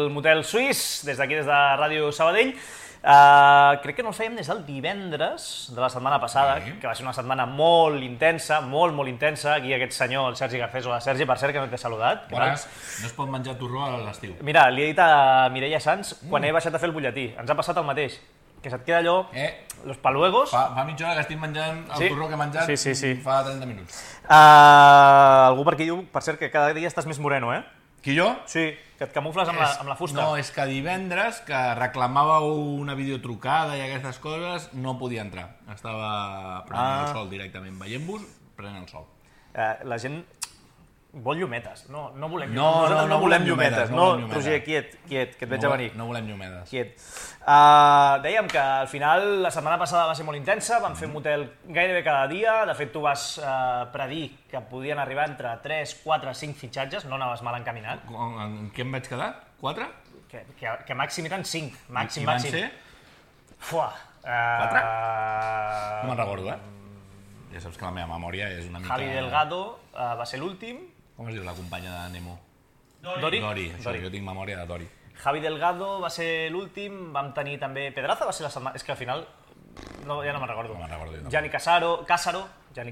del Motel Suís, des d'aquí, des de Ràdio Sabadell. Crec que no el fèiem des del divendres de la setmana passada, que va ser una setmana molt intensa, molt intensa. Aquí aquest senyor, el Sergi Garcés, o la Sergi, per cert, que no t'he saludat. Bones, no es pot menjar torró a l'estiu. Mira, li he dit a Mireia Sanz quan he baixat a fer el butlletí. Ens ha passat el mateix, que se't queda allò, los paluegos... Fa mitja hora que estic menjant el torró que he menjat fa 30 minuts. Algú per aquí diu, per cert, que cada dia estàs més moreno, eh? Qui, jo? Sí, que et camufles amb la fusta. No, és que divendres, que reclamàveu una videotrucada i aquestes coses, no podia entrar. Estava prenent el sol directament. Veient-vos, prenent el sol. La gent vol llumetes. No volem llumetes. No volem llumetes. No, Roger, quiet, que et veig a venir. No volem llumetes. Quiet. Dèiem que al final la setmana passada va ser molt intensa, vam fer un motel gairebé cada dia. De fet, tu vas predir que podien arribar entre 3, 4, 5 fitxatges, no anaves mal encaminat. En què em vaig quedar? 4? Que màxim eren 5. Màxim. I van ser? 4? No me'n recordo, Ja saps que la meva memòria és una mica... Javi Delgado va ser l'últim. Com es diu la companya de Nemo? Dori. Això, jo tinc memòria de Dori. Javi Delgado va ser l'últim, vam tenir també... Pedraza va ser la setmana... És que al final... ja no me'n recordo. No me'n recordo jo. Gianni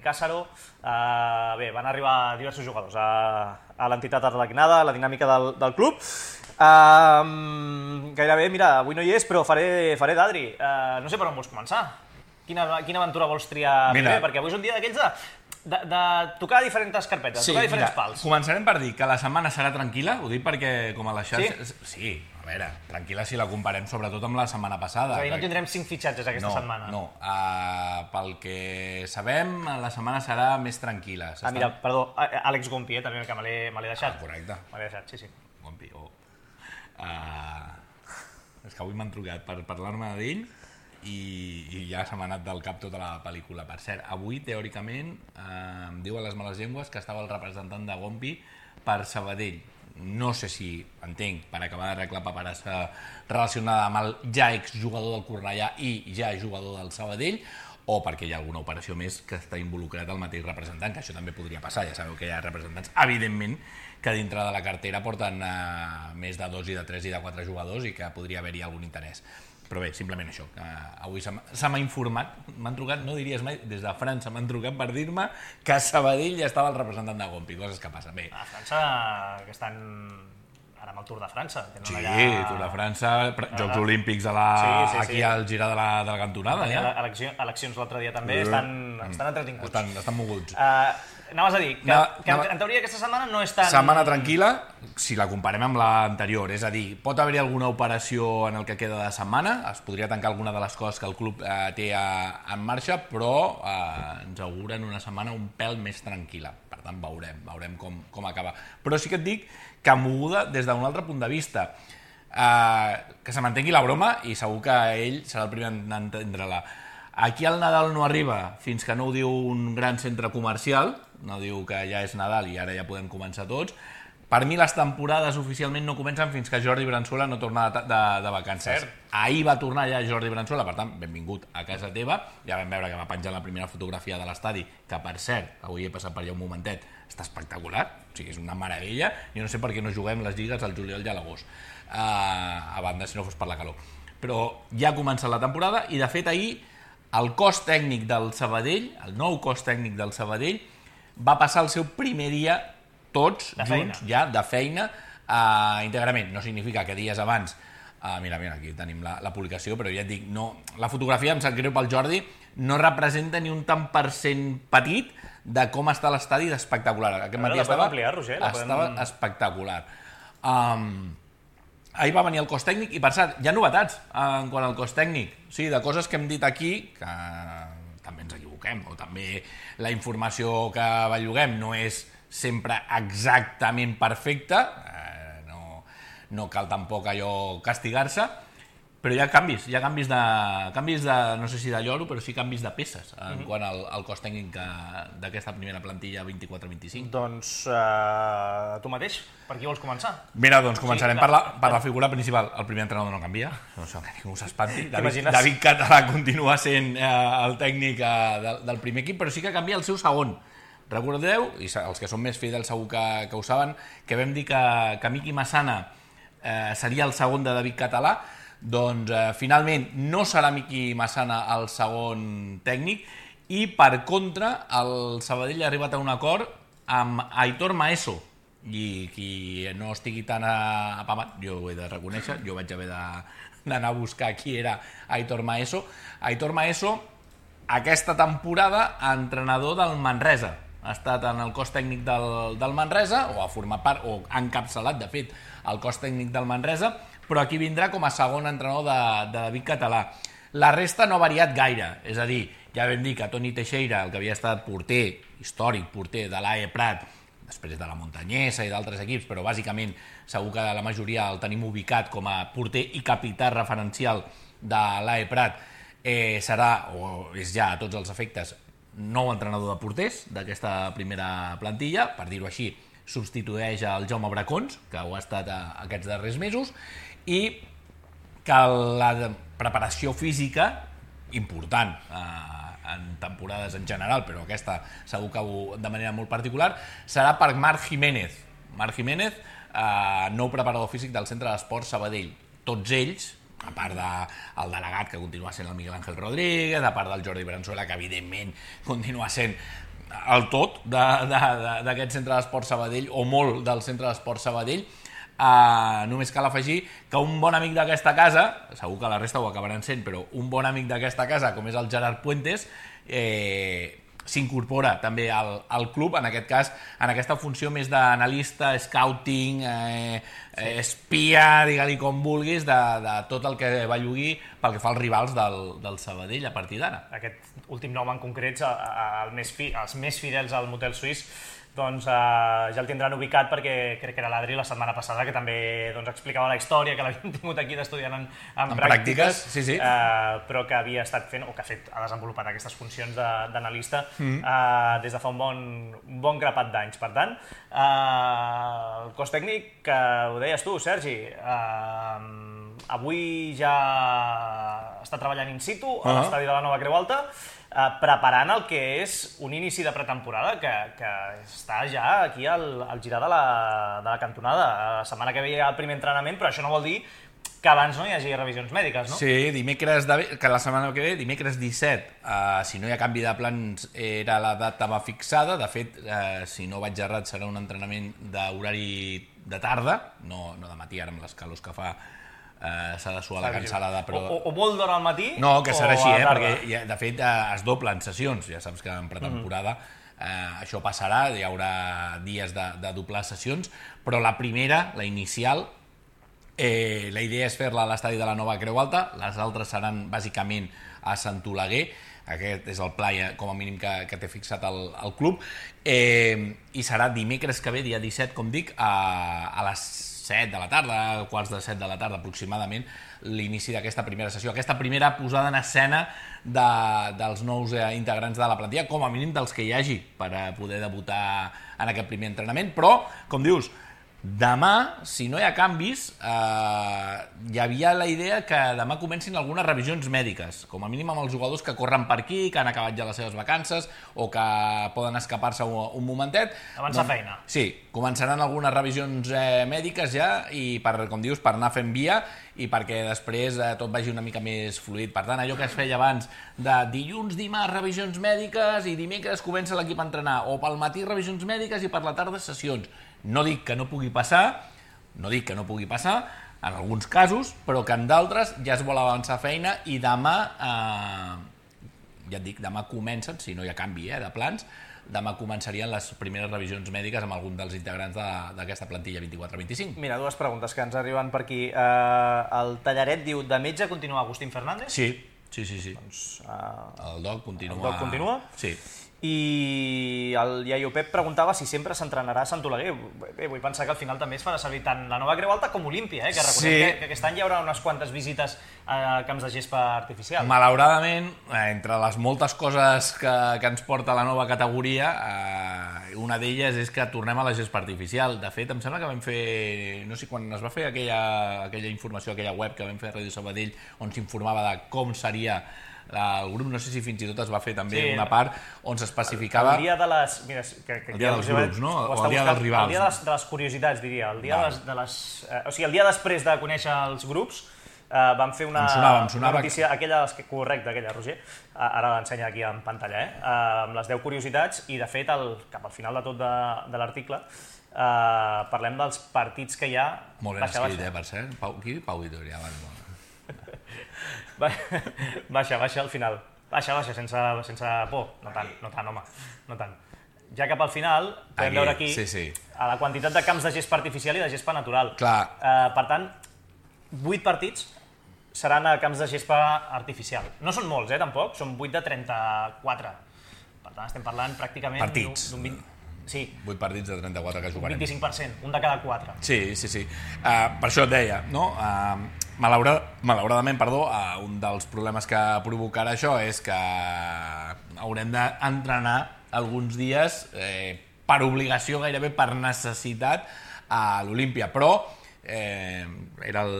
Casaro. Bé, van arribar diversos jugadors a l'entitat arlequinada, a la dinàmica del club. Gairebé, mira, avui no hi és, però faré d'Adri. No sé per on vols començar. Quina aventura vols triar primer? Perquè avui és un dia d'aquells de tocar diferents carpetes, tocar diferents pals. Començarem per dir que la setmana serà tranquil·la, ho dic perquè com a les xarxes... Sí, a veure, tranquil·la si la comparem sobretot amb la setmana passada. És a dir, no tindrem 5 fitxatges aquesta setmana. No, pel que sabem, la setmana serà més tranquil·la. Mira, perdó, Àlex Gompi, també, que me l'he deixat. Correcte. Me l'he deixat, sí. Gompi, és que avui m'han trucat per parlar-me d'ell i ja se m'ha anat del cap tota la pel·lícula. Per cert, avui, teòricament, em diuen les males llengües que estava el representant de Gompi per Sabadell. No sé si, entenc, per acabar d'arreglar la paperassa relacionada amb el ja exjugador del Cornellà i ja jugador del Sabadell, o perquè hi ha alguna operació més que està involucrat el mateix representant, que això també podria passar. Ja sabeu que hi ha representants, evidentment, que dintre de la cartera porten més de 2 i de 3 i de 4 jugadors i que podria haver-hi algun interès. Però bé, simplement això, avui se m'ha informat, m'han trucat, no diries mai, des de França m'han trucat per dir-me que a Sabadell ja estava el representant de Gompi, coses que passen. Bé. A França, que estan ara amb el Tour de França. Sí, Tour de França, Jocs Olímpics aquí al girar de la cantonada. Eleccions l'altre dia també, estan entretinguts. Estan moguts. Anaves a dir que en teoria aquesta setmana no és tan... Setmana tranquil·la, si la comparem amb l'anterior, és a dir, pot haver-hi alguna operació en el que queda de setmana, es podria tancar alguna de les coses que el club té en marxa, però ens auguren una setmana un pèl més tranquil·la. Per tant, veurem com acaba. Però sí que et dic que moguda des d'un altre punt de vista. Que se mantengui la broma i segur que ell serà el primer a entendre-la. Aquí el Nadal no arriba fins que no ho diu un gran centre comercial, no diu que ja és Nadal i ara ja podem començar tots. Per mi les temporades oficialment no comencen fins que Jordi Branzuela no torna de vacances. Ahir va tornar ja Jordi Branzuela, per tant, benvingut a casa teva. Ja vam veure que va penjar la primera fotografia de l'estadi, que per cert, avui he passat per allà un momentet, està espectacular, o sigui, és una meravella. Jo no sé per què no juguem les lligues al juliol i a l'agost, a banda si no fos per la calor. Però ja ha començat la temporada i de fet ahir el cos tècnic del Sabadell, el nou cos tècnic del Sabadell, va passar el seu primer dia tots junts, ja, de feina, íntegrament. No significa que dies abans... Mira, aquí tenim la publicació, però ja et dic, la fotografia, em sap greu pel Jordi, no representa ni un tant per cent petit de com està l'estadi d'espectacular. Aquest matí estava espectacular. Ahir va venir el cos tècnic i, per cert, hi ha novetats en quant al cos tècnic. Sí, de coses que hem dit aquí, que també ens equivoquem, o també la informació que belluguem no és sempre exactament perfecta, no cal tampoc allò castigar-se, però hi ha canvis de, no sé si de lloro, però sí canvis de peces en quant al cos tècnic d'aquesta primera plantilla 24-25. Doncs tu mateix, per qui vols començar? Mira, doncs començarem per la figura principal. El primer entrenador no canvia, no sé que ningú s'espanti. David Català continua sent el tècnic del primer equip, però sí que canvia el seu segon. Recordeu, i els que són més fidels segur que ho saben, que vam dir que Miki Massana seria el segon de David Català. Doncs finalment no serà Miqui Massana el segon tècnic i per contra el Sabadell ha arribat a un acord amb Aitor Maeso, i qui no estigui tan apamat, jo ho he de reconèixer, jo vaig haver d'anar a buscar qui era Aitor Maeso. Aitor Maeso, aquesta temporada, entrenador del Manresa. Ha estat en el cos tècnic del Manresa, o ha format part, o ha encapçalat, de fet, el cos tècnic del Manresa, però aquí vindrà com a segon entrenador de David Català. La resta no ha variat gaire, és a dir, ja vam dir que Toni Teixeira, el que havia estat porter, històric porter de l'AE Prat, després de la Montanyesa i d'altres equips, però bàsicament segur que la majoria el tenim ubicat com a porter i capità referencial de l'AE Prat, serà, o és ja a tots els efectes, nou entrenador de porters d'aquesta primera plantilla, per dir-ho així, substitueix el Jaume Bracons, que ho ha estat aquests darrers mesos, i que la preparació física, important en temporades en general, però aquesta segur que de manera molt particular, serà per Marc Jiménez. Marc Jiménez, nou preparador físic del Centre d'Esports Sabadell. Tots ells, a part del delegat, que continua sent el Miguel Ángel Rodríguez, a part del Jordi Branzuela, que evidentment continua sent el tot d'aquest Centre d'Esports Sabadell, o molt del Centre d'Esports Sabadell. Només cal afegir que un bon amic d'aquesta casa, segur que la resta ho acabaran sent, però un bon amic d'aquesta casa, com és el Gerard Puentes, s'incorpora també al club, en aquest cas, en aquesta funció més d'analista, scouting, espia, digue-li com vulguis, de tot el que bellugui pel que fa als rivals del Sabadell a partir d'ara. Aquest últim nom en concret, els més fidels al motel suís, doncs ja el tindran ubicat, perquè crec que era l'Adri la setmana passada que també explicava la història, que l'havíem tingut aquí d'estudiant en pràctiques, sí. però que havia estat fent, o que ha desenvolupat aquestes funcions d'analista des de fa un bon grapat d'anys. Per tant, el cos tècnic, que ho deies tu, Sergi, avui ja està treballant in situ a l'estadi de la Nova Creu Alta, preparant el que és un inici de pretemporada que està ja aquí al girar de la cantonada. La setmana que ve hi ha el primer entrenament, però això no vol dir que abans no hi hagi revisions mèdiques, no? Sí, que la setmana que ve, dimecres 17, si no hi ha canvi de plans, era la data fixada. De fet, si no vaig errat, serà un entrenament d'horari de tarda, no de matí, ara amb les calors que fa s'ha de suar la cansalada, però... O molt d'hora al matí, no, que serà així, perquè de fet es doblen sessions, ja saps que en pretemporada això passarà, hi haurà dies de doblar sessions, però la primera, la inicial, la idea és fer-la a l'estadi de la Nova Creu Alta, les altres seran bàsicament a Sant Oleguer, aquest és el pla com a mínim que té fixat el club, i serà dimecres que ve, dia 17, com dic, a les 7 de la tarda, quarts de 7 de la tarda aproximadament, l'inici d'aquesta primera sessió, aquesta primera posada en escena dels nous integrants de la plantilla, com a mínim dels que hi hagi, per poder debutar en aquest primer entrenament. Però, com dius, demà, si no hi ha canvis, hi havia la idea que demà comencin algunes revisions mèdiques, com a mínim amb els jugadors que corren per aquí, que han acabat ja les seves vacances o que poden escapar-se un momentet. Avançar feina. Sí, començaran algunes revisions mèdiques ja, i com dius, per anar fent via i perquè després tot vagi una mica més fluid. Per tant, allò que es feia abans de dilluns, dimarts, revisions mèdiques, i dimecres comença l'equip a entrenar, o pel matí revisions mèdiques i per la tarda sessions. No dic que no pugui passar, en alguns casos, però que en d'altres ja es vol avançar feina, i demà, ja et dic, demà comencen, si no hi ha canvi de plans, demà començarien les primeres revisions mèdiques amb algun dels integrants d'aquesta plantilla 24-25. Mira, dues preguntes que ens arriben per aquí. El Tallaret diu, de metge continua Agustín Fernández? Sí. Doncs, el Doc continua. El Doc continua? Sí. I el Iaio Pep preguntava si sempre s'entrenarà a Sant Oleguer. Bé, vull pensar que al final també es farà servir tant la Nova Creu Alta com Olímpia, que recordem que aquest any hi haurà unes quantes visites a camps de gespa artificial. Malauradament, entre les moltes coses que ens porta la nova categoria, una d'elles és que tornem a la gespa artificial. De fet, em sembla que vam fer, no sé, quan es va fer aquella informació, aquella web que vam fer a Ràdio Sabadell, on s'informava de com seria el grup, no sé si fins i tot es va fer també una part on s'especificava... El dia de les... Mira, el dia dels grups, no? O el dia dels rivals. El dia de les curiositats, diria. El dia de les... O sigui, el dia després de conèixer els grups, vam fer una notícia, correcte, aquella, Roger, ara l'ensenya aquí en pantalla, amb les 10 curiositats, i de fet, cap al final de tot de l'article, parlem dels partits que hi ha... Molt ben escrit, per cert. Pau Vitoria, Baixa al final. Baixa, sense por. No tant, home, no tant. Ja cap al final, podem veure aquí a la quantitat de camps de gespa artificial i de gespa natural. Per tant, 8 partits seran a camps de gespa artificial. No són molts, tampoc, són 8 de 34. Per tant, estem parlant pràcticament d'un 20... Sí. 8 partits de 34 que jugarem. 25%, un de cada 4. Sí. Per això et deia, no? Malauradament, un dels problemes que provocarà això és que haurem d'entrenar alguns dies per obligació, gairebé per necessitat, a l'Olímpia. Però era el...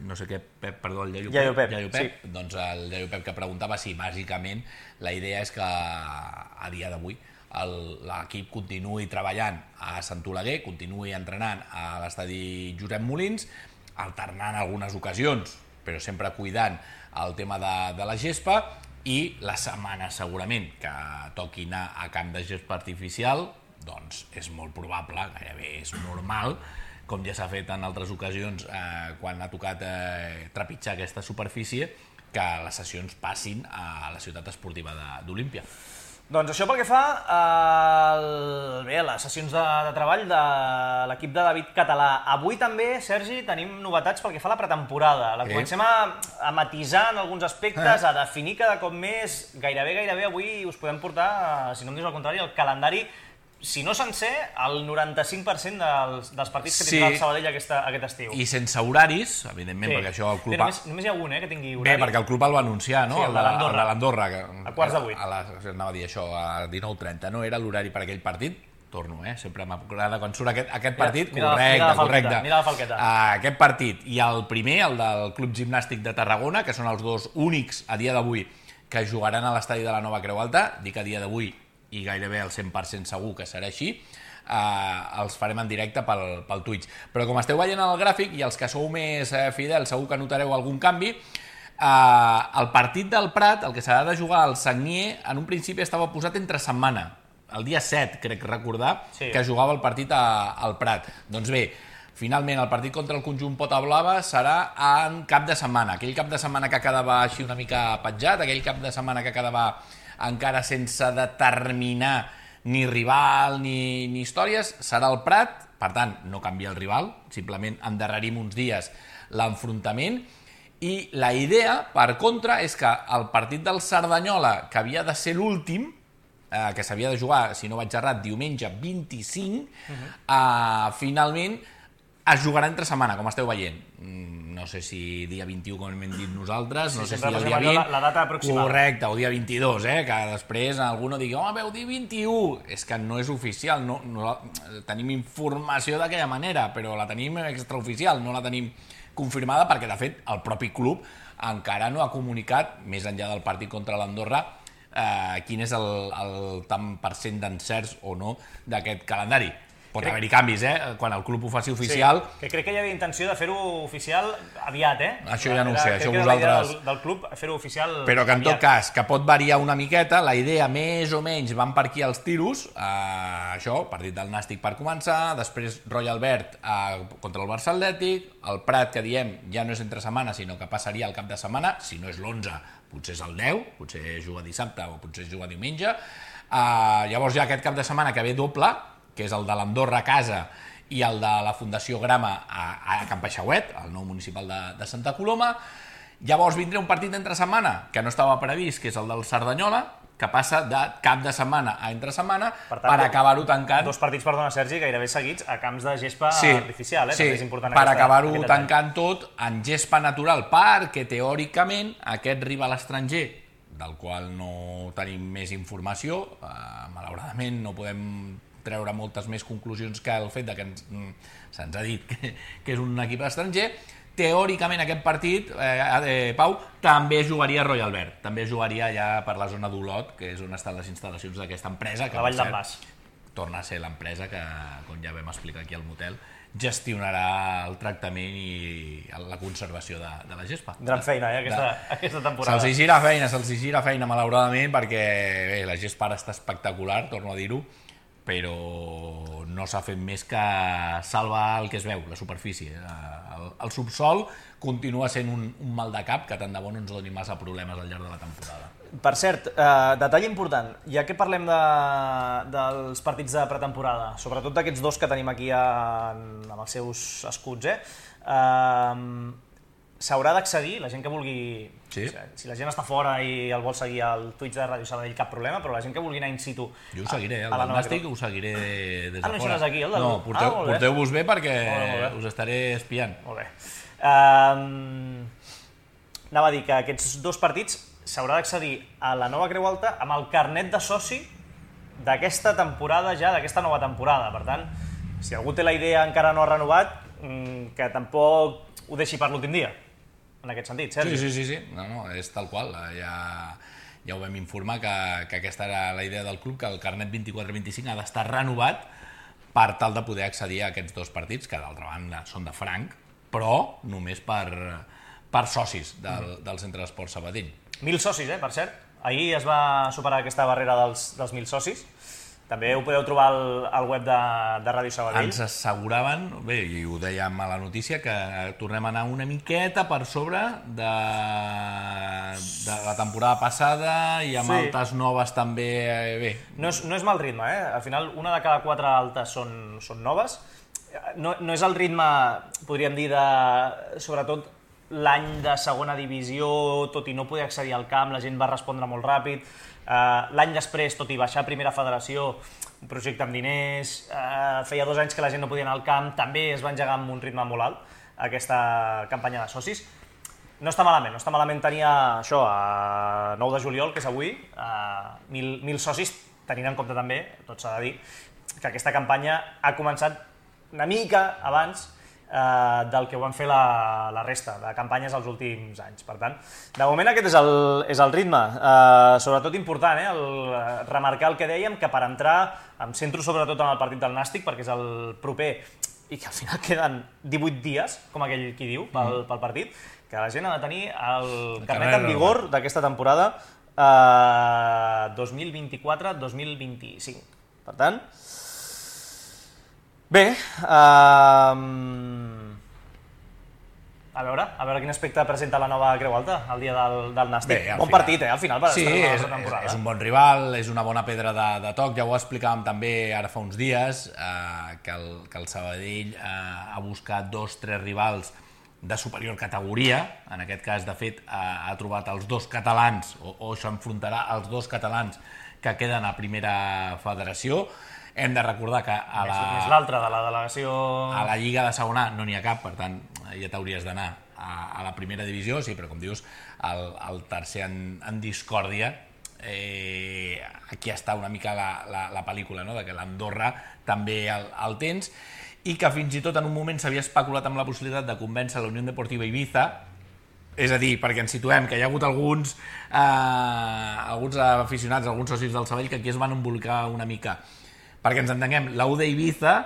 no sé què, Pep, perdó, el Iaio Pep. Sí. Doncs el Iaio Pep que preguntava si bàsicament la idea és que a dia d'avui l'equip continuï treballant a Sant Oleguer, continuï entrenant a l'estadi Josep Molins, alternant algunes ocasions, però sempre cuidant el tema de la gespa, i la setmana segurament que toqui anar a camp de gespa artificial, doncs és molt probable, gairebé és normal, com ja s'ha fet en altres ocasions quan ha tocat trepitjar aquesta superfície, que les sessions passin a la ciutat esportiva d'Olímpia. Doncs això pel que fa a les sessions de treball de l'equip de David Català. Avui també, Sergi, tenim novetats pel que fa a la pretemporada. La comencem a matisar en alguns aspectes, a definir cada cop més. Gairebé avui us podem portar, si no em dius el contrari, el calendari, si no sencer, el 95% dels partits que tindrà el Sabadell aquest estiu. I sense horaris, evidentment, perquè això el club... Només hi ha un, que tingui horari. Bé, perquè el club el va anunciar, no? Sí, el de l'Andorra. A quarts de 8. Anava a dir això, a 19:30, no era l'horari per aquell partit? Torno, sempre m'agrada quan surt aquest partit. Correcte. Mira la falqueta. Aquest partit i el primer, el del Club Gimnàstic de Tarragona, que són els dos únics a dia d'avui que jugaran a l'estadi de la Nova Creu Alta, dic a dia d'avui i gairebé el 100% segur que serà així, els farem en directe pel Twitch. Però com esteu veient el gràfic, i els que sou més fidels segur que notareu algun canvi, el partit del Prat, el que s'ha de jugar al Sagnier, en un principi estava posat entre setmana, el dia 7, crec recordar, que jugava el partit al Prat. Doncs bé, finalment el partit contra el conjunt Pota Blava serà en cap de setmana, aquell cap de setmana que quedava així una mica petjat, aquell cap de setmana que quedava encara sense determinar ni rival ni històries, serà el Prat, per tant, no canvia el rival, simplement endarrerim uns dies l'enfrontament, i la idea, per contra, és que el partit del Cerdanyola, que havia de ser l'últim, que s'havia de jugar, si no vaig errat, diumenge 25, finalment es jugarà entre setmana, com esteu veient. No sé si dia 21, com hem dit nosaltres, no sé si el dia 20... La data aproximada. Correcte, o dia 22, que després algú digui, veu dir 21! És que no és oficial, tenim informació d'aquella manera, però la tenim extraoficial, no la tenim confirmada, perquè de fet el propi club encara no ha comunicat, més enllà del partit contra l'Andorra, quin és el tant % d'encerts o no d'aquest calendari. Pot haver-hi canvis, quan el club ho faci oficial. Sí, que crec que hi havia intenció de fer-ho oficial aviat, Això ja no ho sé, això vosaltres... del club, fer-ho oficial però que en tot cas, que pot variar una miqueta, la idea més o menys van per aquí els tiros, això, partit del Nàstic per començar, després Royal Albert contra el Barça Atlètic, el Prat, que diem, ja no és entre setmana, sinó que passaria al cap de setmana, si no és l'11, potser és el 10, potser juga dissabte o potser juga diumenge. Llavors ja aquest cap de setmana que ve doble, que és el de l'Andorra a casa i el de la Fundació Grama a Can Peixauet, el nou municipal de Santa Coloma. Llavors vindrà un partit entre setmana que no estava previst, que és el del Cerdanyola, que passa de cap de setmana a entre setmana per acabar-ho tancant... Dos partits, perdona, Sergi, gairebé seguits a camps de gespa artificial. Sí, per acabar-ho tancant tot en gespa natural, perquè teòricament aquest rival estranger del qual no tenim més informació. Malauradament no podem treure moltes més conclusions que el fet de que se'ns ha dit que és un equip estranger. Teòricament aquest partit, Pau, també jugaria a Royal Albert, també jugaria ja per la zona d'Olot, que és on estan les instal·lacions d'aquesta empresa, que la Vall d'en Bas torna a ser l'empresa que, com ja vam explicar aquí al motel, gestionarà el tractament i la conservació de la gespa. Gran feina, aquesta temporada. Se'ls gira feina, malauradament, perquè bé, la gespa ara està espectacular, torno a dir-ho, però no s'ha fet més que salvar el que es veu, la superfície. El subsol continua sent un mal de cap que tant de bo no ens doni massa problemes al llarg de la temporada. Per cert, detall important, ja que parlem dels partits de pretemporada, sobretot d'aquests dos que tenim aquí amb els seus escuts, s'haurà d'accedir, la gent que vulgui... Sí. Si la gent està fora i el vol seguir al Twitch de Ràdio Sabadell, cap problema, però la gent que vulgui anar in situ... Jo ho seguiré, el del Nàstic ho seguiré des de fora. No hi seràs aquí, el del... No, porteu-vos bé perquè us estaré espiant. Molt bé. Anava a dir que aquests dos partits s'haurà d'accedir a la nova Creu Alta amb el carnet de soci d'aquesta temporada ja, d'aquesta nova temporada. Per tant, si algú té la idea encara no ha renovat, que tampoc ho deixi per l'últim dia, en aquest sentit, Sergi. Sí. No, és tal qual. Ja ho vam informar que aquesta era la idea del club, que el carnet 24-25 ha d'estar renovat per tal de poder accedir a aquests dos partits, que d'altra banda són de franc, però només per socis del Centre d'Esport Sabadell. 1.000 socis, per cert. Ahir es va superar aquesta barrera dels 1.000 socis. També ho podeu trobar al web de Ràdio Sabadell. Ens asseguraven, bé, i ho dèiem a la notícia, que tornem a anar una miqueta per sobre de la temporada passada i amb altes noves també. Bé. No és mal ritme, Al final, una de cada 4 altes són noves. No és el ritme, podríem dir, sobretot l'any de segona divisió, tot i no poder accedir al camp, la gent va respondre molt ràpid. L'any després, tot i baixar a primera federació, un projecte amb diners, feia 2 anys que la gent no podia anar al camp, també es va engegar amb un ritme molt alt aquesta campanya de socis. No està malament tenir això a 9 de juliol, que és avui, 1.000 socis, tenint en compte també, tot s'ha de dir, que aquesta campanya ha començat una mica abans del que ho van fer la resta de campanyes els últims anys. Per tant, de moment aquest és el ritme. Sobretot important, remarcar el que dèiem, que per entrar, em centro sobretot en el partit del Nàstic, perquè és el proper, i que al final queden 18 dies, com aquell qui diu, pel partit, que la gent ha de tenir el carnet en vigor d'aquesta temporada 2024-2025. Per tant, bé, a veure quin aspecte presenta la nova Creu Alta el dia del Nàstic. Bon partit, al final, per estrenar la temporada. És un bon rival, és una bona pedra de toc. Ja ho explicàvem també ara fa uns dies, que el Sabadell ha buscat 2-3 rivals de superior categoria. En aquest cas, de fet, ha trobat els 2 catalans, o s'enfrontarà als 2 catalans que queden a primera federació. Hem de recordar que més l'altre de la delegació... A la Lliga de Segona no n'hi ha cap, per tant, ja t'hauries d'anar a la primera divisió, sí, però com dius, el tercer en discòrdia. Aquí està una mica la pel·lícula, no?, de que l'Andorra també el tens, i que fins i tot en un moment s'havia especulat amb la possibilitat de convèncer la Unió Deportiva Ibiza, és a dir, perquè ens situem, que hi ha hagut alguns aficionats, alguns socis del Sabadell que aquí es van embolicar una mica. Perquè ens entenguem, la UD Ibiza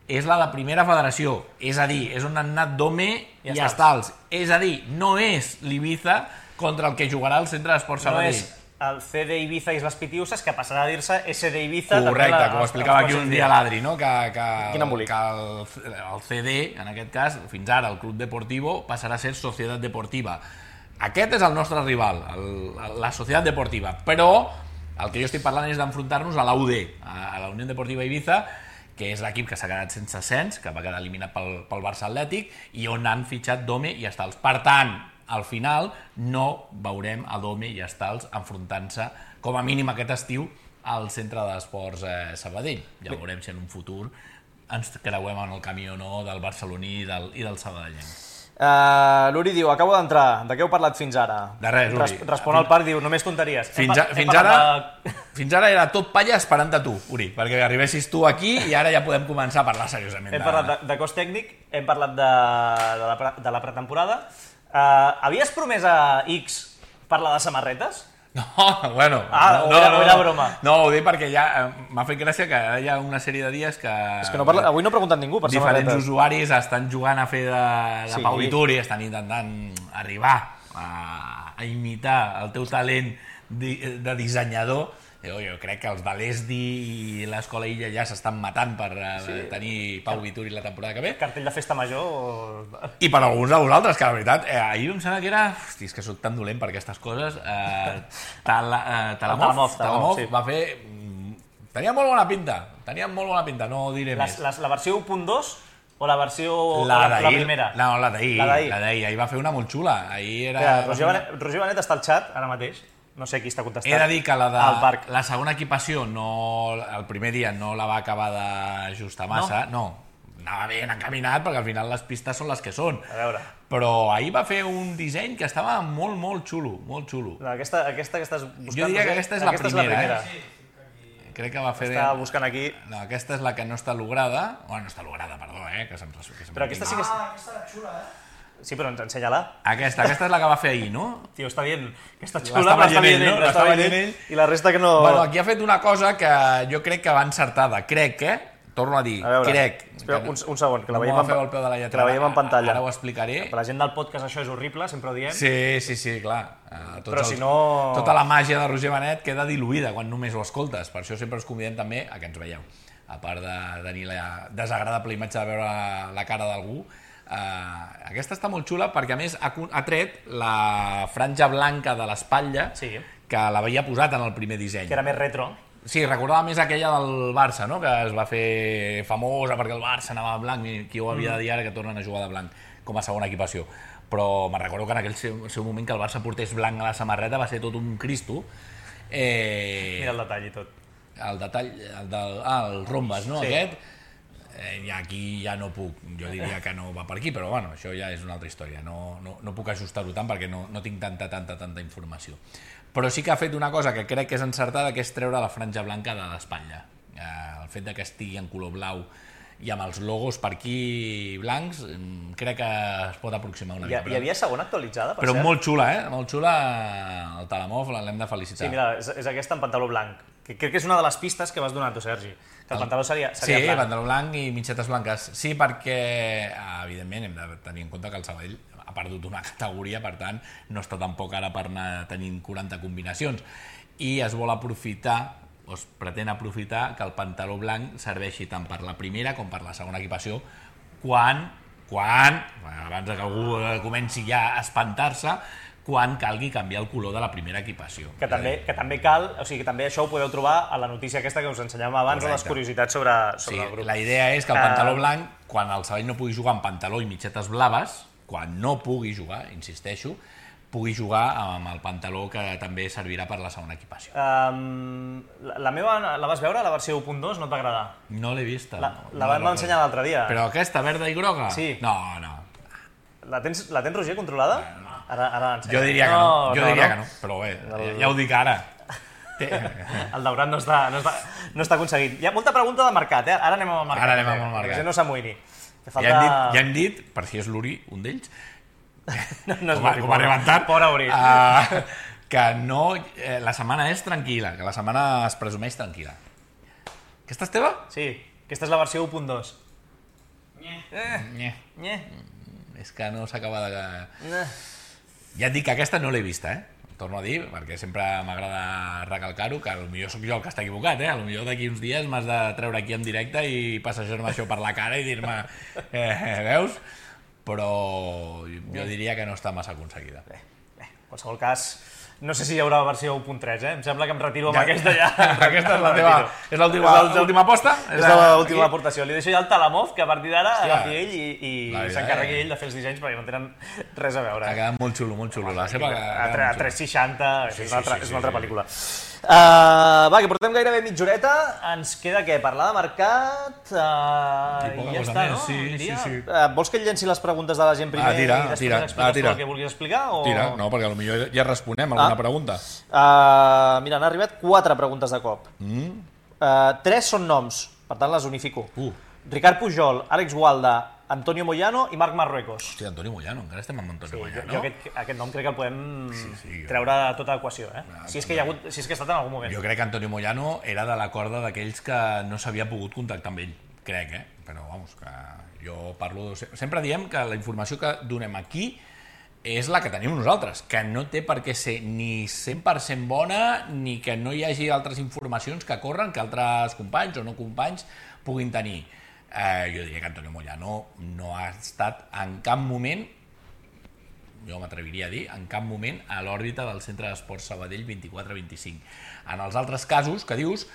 és la de primera federació, és a dir, és on han anat Dome i Estals. És a dir, no és l'Ibiza contra el que jugarà el Centre d'Esport Sabadell. No és el CD Ibiza Islas Pitiusas, que passarà a dir-se SD Ibiza... Correcte, com explicava aquí un dia l'Adri, no? Que el CD, en aquest cas, fins ara, el Club Deportivo, passarà a ser Societat Deportiva. Aquest és el nostre rival, la Societat Deportiva, però... El que jo estic parlant és d'enfrontar-nos a la UD, a la Unió Deportiva Ibiza, que és l'equip que s'ha quedat sense ascens, que va quedar eliminat pel Barça Atlètic, i on han fitxat Dome i Estals. Per tant, al final, no veurem a Dome i Estals enfrontant-se, com a mínim aquest estiu, al Centre d'Esports Sabadell. Ja veurem si en un futur ens creuem en el camí o no del barceloní i del sabadellenc. L'Uri diu, acabo d'entrar, de què heu parlat fins ara? De res, Uri. Respon al Parc, diu, només tonteries. Fins ara era tot palla esperant a tu, Uri, perquè arribessis tu aquí i ara ja podem començar a parlar seriosament. Hem parlat de cos tècnic, hem parlat de la pretemporada. Havies promès a X parlar de samarretes? No, bueno... O era broma? No, ho dic perquè ja m'ha fet gràcia que hi ha una sèrie de dies que... És que avui no ha preguntat ningú per samarretes. Diferents usuaris estan jugant a fer de Pau Vituri, estan intentant arribar a imitar el teu talent de dissenyador. Jo crec que els de l'ESDI i l'Escola Illa ja s'estan matant per tenir Pau Vituri la temporada que ve. Cartell de festa major... I per alguns de vosaltres, que la veritat, ahir em sembla que era... Hosti, és que soc tan dolent per aquestes coses. Talamov va fer... Tenia molt bona pinta, no diré més. La versió 1.2 o la versió... La primera? No, la d'ahir. Ahir va fer una molt xula. Roger Benet està al xat, ara mateix. No sé qui està contestant. He de dir que la segona equipació, el primer dia no la va acabar d'ajustar massa. No, anava ben encaminat, perquè al final les pistes són les que són. A veure. Però ahir va fer un disseny que estava molt, molt xulo, molt xulo. Aquesta que estàs buscant... Jo diria que aquesta és la primera. Crec que va fer... Està buscant aquí... No, aquesta és la que no està lograda. No està lograda, perdó, que se'm... Però aquesta sí que... aquesta era xula, Sí, però ensenya-la. Aquesta és la que va fer ahir, no? Tio, està dient que està xula, l'estava veient ell, i la resta que no... Bueno, aquí ha fet una cosa que jo crec que va encertada. Crec, torno a dir, crec. Espera, un segon, que la veiem en pantalla. Ara ho explicaré. Per la gent del podcast això és horrible, sempre ho diem. Sí, clar. Però si no... Tota la màgia de Roger Benet queda diluïda quan només ho escoltes. Per això sempre us convidem també a que ens veieu. A part de tenir la desagradable imatge de veure la cara d'algú, aquesta està molt xula perquè a més ha tret la franja blanca de l'espatlla que l'havia posat en el primer disseny. Que era més retro. Sí, recordava més aquella del Barça, no? Que es va fer famosa perquè el Barça anava de blanc i qui ho havia de dir ara que tornen a jugar de blanc com a segona equipació. Però me'n recordo que en aquell seu moment que el Barça portés blanc a la samarreta va ser tot un cristo. Mira el detall i tot. El detall, el rombes, no? Aquest. I aquí ja no puc, jo diria que no va per aquí, però bueno, això ja és una altra història, no puc ajustar-ho tant perquè no tinc tanta informació. Però sí que ha fet una cosa que crec que és encertada, que és treure la franja blanca de l'espatlla. El fet que estigui en color blau i amb els logos per aquí blancs, crec que es pot aproximar una mica. Hi havia segona actualitzada, per cert? Però molt xula, molt xula, el Talamov, l'hem de felicitar. Sí, mira, és aquesta en pantaló blanc, que crec que és una de les pistes que vas donar tu, Sergi. Que el pantaló seria blanc. Sí, pantaló blanc i mitgetes blanques. Sí, perquè, evidentment, hem de tenir en compte que el Sabadell ha perdut una categoria, per tant, no està tampoc ara per anar tenint 40 combinacions. I es vol aprofitar, o es pretén aprofitar, que el pantaló blanc serveixi tant per la primera com per la segona equipació, quan abans que algú comenci ja a espantar-se, quan calgui canviar el color de la primera equipació. Que també cal, o sigui, que també això ho podeu trobar a la notícia aquesta que us ensenyàvem abans, de les curiositats sobre el grup. La idea és que el pantaló blanc, quan el Sabadell no pugui jugar amb pantaló i mitgetes blaves, quan no pugui jugar, insisteixo, pugui jugar amb el pantaló que també servirà per la segona equipació. La meva, la vas veure, la versió 1.2, no et va agradar? No l'he vista. La vam ensenyar l'altre dia. Però aquesta, verda i groga? Sí. No. La tens, Roger, controlada? No. Ara jo diria que no, però bé, ja ho dic ara. El daurat no està aconseguit. Hi ha molta pregunta de mercat, ara anem amb el mercat. Ara anem amb el mercat. Perquè no s'amoïni. Ja hem dit, per si és l'Uri, un d'ells, com ha rebentat, que no, la setmana és tranquil·la, que la setmana es presumeix tranquil·la. Aquesta és teva? Sí, aquesta és la versió 1.2. És que no s'acaba de... Ja et dic que aquesta no l'he vista, torno a dir, perquè sempre m'agrada recalcar-ho, que potser sóc jo el que està equivocat, potser d'aquí uns dies m'has de treure aquí en directe i passejar-me això per la cara i dir-me, veus? Però jo diria que no està massa aconseguida. Bé, en qualsevol cas, no sé si hi haurà versió 1.3, Em sembla que em retiro amb aquesta ja. Aquesta és la teva... És l'última aposta? És l'última aportació. Li deixo ja el Talamov, que a partir d'ara agafi ell i s'encarregui ell de fer els dissenys perquè no tenen res a veure. Ha quedat molt xulo, molt xulo. La seva... A 360, és una altra pel·lícula. Va, que portem gairebé mitja horeta, ens queda què? Parlar de mercat i ja està, no? Sí. Vols que et llenci les preguntes de la gent primer i després expliques el que vulguis explicar? Tira, no, perquè potser ja responem alguna pregunta. Mira, han arribat 4 preguntes de cop. 3 són noms, per tant les unifico. Ricard Pujol, Àlex Gualda, Antonio Moyano i Marc Marruecos. Hòstia, Antonio Moyano, encara estem amb Antonio Moyano. Jo aquest nom crec que el podem treure de tota l'equació, si és que ha estat en algun moment. Jo crec que Antonio Moyano era de la corda d'aquells que no s'havia pogut contactar amb ell, crec, però vamos, que jo parlo... Sempre diem que la informació que donem aquí és la que tenim nosaltres, que no té per què ser ni 100% bona ni que no hi hagi altres informacions que corren que altres companys o no companys puguin tenir. Jo diria que Antonio Moyano no ha estat en cap moment, jo m'atreviria a dir, en cap moment a l'òrbita del Centre d'Esports Sabadell 24-25. En els altres casos que dius,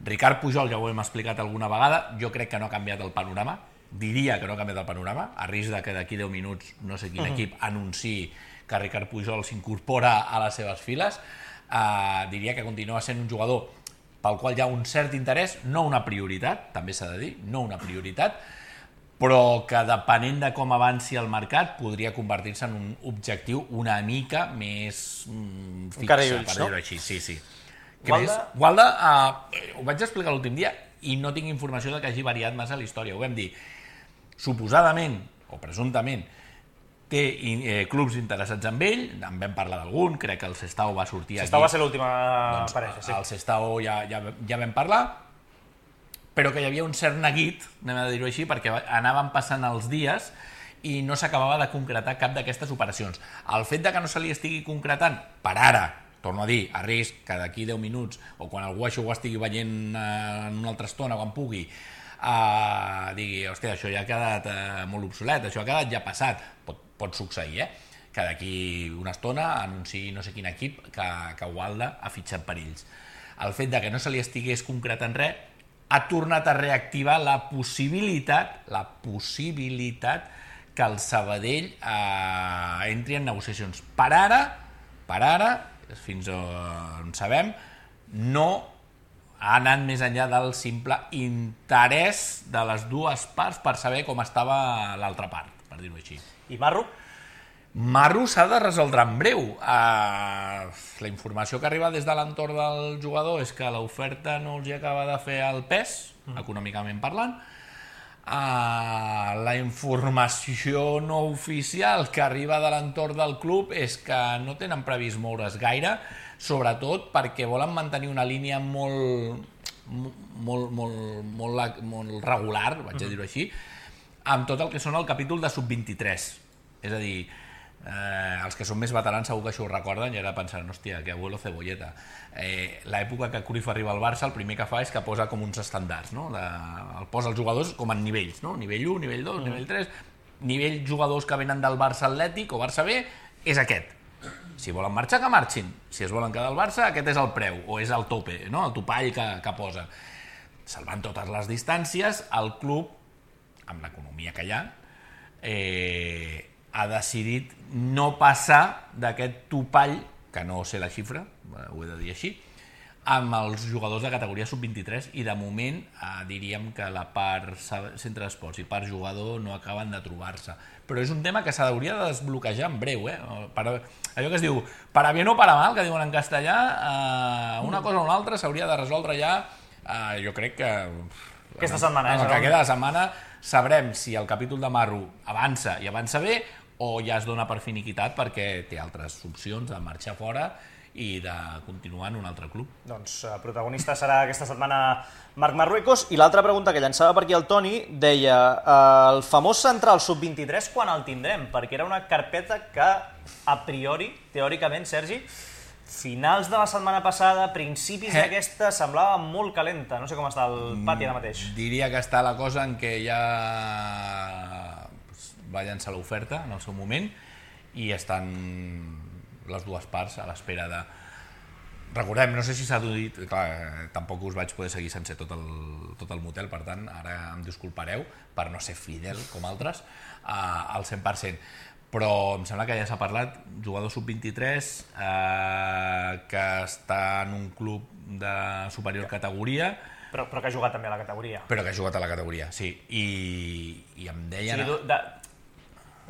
Ricard Pujol ja ho hem explicat alguna vegada, jo crec que no ha canviat el panorama, diria que no ha canviat el panorama, a risc de que d'aquí 10 minuts no sé quin equip anunciï que Ricard Pujol s'incorpora a les seves files, diria que continua sent un jugador pel qual hi ha un cert interès, no una prioritat, també s'ha de dir, no una prioritat, però que depenent de com avanci el mercat podria convertir-se en un objectiu una mica més fixe, per dir-ho així. Sí. Gualda, ho vaig explicar l'últim dia i no tinc informació de que hagi variat massa la història. Ho vam dir, suposadament o presumptament té clubs interessats en ell, en vam parlar d'algun, crec que el Sestao va sortir aquí. Sestao va ser l'última parella, sí. El Sestao ja vam parlar, però que hi havia un cert neguit, anem a dir-ho així, perquè anaven passant els dies i no s'acabava de concretar cap d'aquestes operacions. El fet de que no se li estigui concretant, per ara, torno a dir, a risc, que d'aquí 10 minuts, o quan algú això ho estigui veient en una altra estona, quan pugui, digui, hòstia, això ja ha quedat molt obsolet, això ha quedat ja passat, pot succeir, que d'aquí una estona anunciï no sé quin equip que Gualda ha fitxat per ells. El fet de que no se li estigués concretant res ha tornat a reactivar la possibilitat que el Sabadell entri en negociacions. Per ara, fins on sabem, no ha anat més enllà del simple interès de les dues parts per saber com estava l'altra part, per dir-ho així. I Marro? Marro s'ha de resoldre en breu. La informació que arriba des de l'entorn del jugador és que l'oferta no els hi acaba de fer el pes, econòmicament parlant. La informació no oficial que arriba de l'entorn del club és que no tenen previst moure's gaire, sobretot perquè volen mantenir una línia molt regular, vaig a dir-ho així, amb tot el que són el capítol de sub-23. És a dir, els que són més veterans segur que això ho recorden i ara pensaran, hòstia, que abuelo cebolleta. L'època que Cruyff arriba al Barça, el primer que fa és que posa com uns estàndards, no? El posa els jugadors com en nivells, no? Nivell 1, nivell 2, nivell 3, nivell jugadors que venen del Barça Atlètic o Barça B, és aquest. Si volen marxar, que marxin. Si es volen quedar al Barça, aquest és el preu, o és el tope, no? El topall que posa. Salvant totes les distàncies, el club, amb l'economia que hi ha decidit no passar d'aquest topall, que no sé la xifra, ho he de dir així, amb els jugadors de categoria sub-23 i de moment diríem que la part centre d'esports i part jugador no acaben de trobar-se. Però és un tema que s'hauria de desbloquejar en breu. Allò que es diu, para bien o para mal, que diuen en castellà, una cosa o una altra s'hauria de resoldre ja, jo crec que... Aquesta setmana, el que queda de setmana sabrem si el capítol de Marro avança i avança bé o ja es dona per finiquitat perquè té altres opcions de marxar fora i de continuar en un altre club. Doncs protagonista serà aquesta setmana Marc Marruecos. I l'altra pregunta que llançava per aquí el Toni deia, el famós central sub-23 quan el tindrem? Perquè era una carpeta que a priori, teòricament, Sergi, finals de la setmana passada, principis d'aquesta, semblava molt calenta. No sé com està el pati ara mateix. Diria que està la cosa en què ja va llançar l'oferta en el seu moment i estan les dues parts a l'espera de... Recordem, no sé si s'ha dit, clar, tampoc us vaig poder seguir sense tot el motel, per tant, ara em disculpareu per no ser fidel com altres al 100%. però em sembla que ja s'ha parlat, jugador sub-23 que està en un club de superior categoria, però que ha jugat també a la categoria. Però que ha jugat a la categoria, sí. I em deien... O sigui,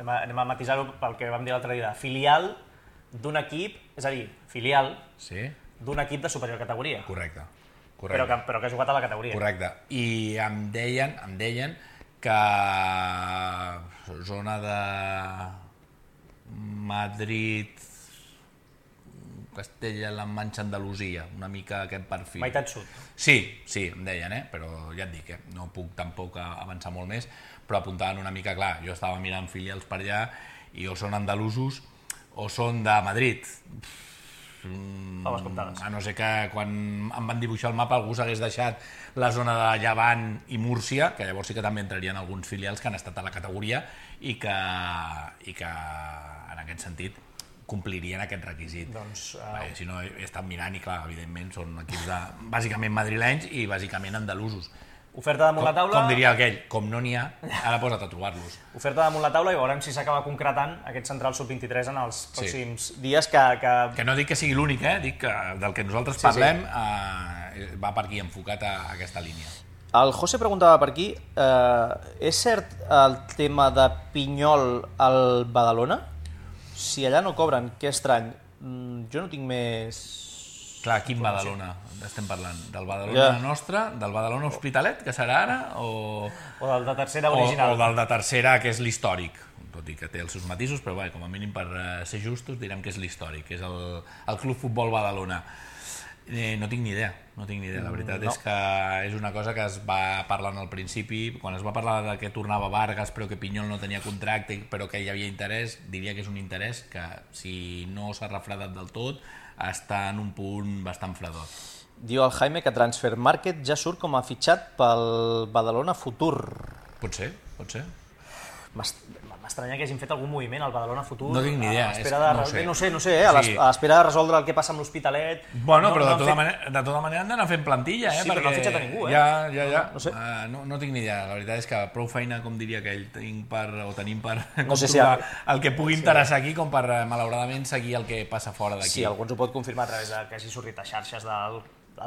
anem a matisar-ho pel que vam dir l'altre dia, filial d'un equip, és a dir, filial d'un equip de superior categoria. Correcte. Però que ha jugat a la categoria. Correcte. I em deien que zona de Madrid, Castella-La Manxa, Andalusia, una mica aquest perfil. Meitat sud. Sí, em deien, però ja et dic, no puc tampoc avançar molt més, però apuntaven una mica, clar, jo estava mirant filials per allà i o són andalusos o són de Madrid. A no ser que quan em van dibuixar el mapa algú s'hagués deixat la zona de Llevant i Múrcia, que llavors sí que també entrarien alguns filials que han estat a la categoria i que en aquest sentit complirien aquest requisit. Si no, he estat mirant i clar, evidentment són equips bàsicament madrilenys i bàsicament andalusos. Oferta damunt la taula... Com diria aquell, com no n'hi ha, ara posa't a trobar-los. Oferta damunt la taula i veurem si s'acaba concretant aquest central sub-23 en els pròxims dies que... Que no dic que sigui l'únic, dic que del que nosaltres parlem va per aquí enfocat a aquesta línia. El José preguntava per aquí, és cert el tema de Pinyol al Badalona? Si allà no cobren, que estrany. Jo no tinc més... Clar, quin Badalona estem parlant? Del Badalona nostre? Del Badalona Hospitalet, que serà ara? O del de tercera original? O del de tercera, que és l'històric. Tot i que té els seus matisos, però com a mínim per ser justos direm que és l'històric, que és el Club Futbol Badalona. No tinc ni idea. La veritat és que és una cosa que es va parlant al principi, quan es va parlar de que tornava Vargas però que Pinyol no tenia contracte però que hi havia interès, diria que és un interès que si no s'ha refredat del tot està en un punt bastant fredot. Diu el Jaime que Transfer Market ja surt com a fitxat pel Badalona Futur. Pot ser. M'estranya que hagin fet algun moviment al Badalona Futur. No tinc ni idea. No sé, a l'espera de resoldre el que passa amb l'Hospitalet. Bueno, però de tota manera han d'anar fent plantilla, Sí, però no han fitxat a ningú, Ja. No sé. No tinc ni idea. La veritat és que prou feina, com diria aquell, tenim per No sé trobar el que pugui interessar aquí com per, malauradament, seguir el que passa fora d'aquí. Sí, algú ens ho pot confirmar a través de que hagi sortit a xarxes del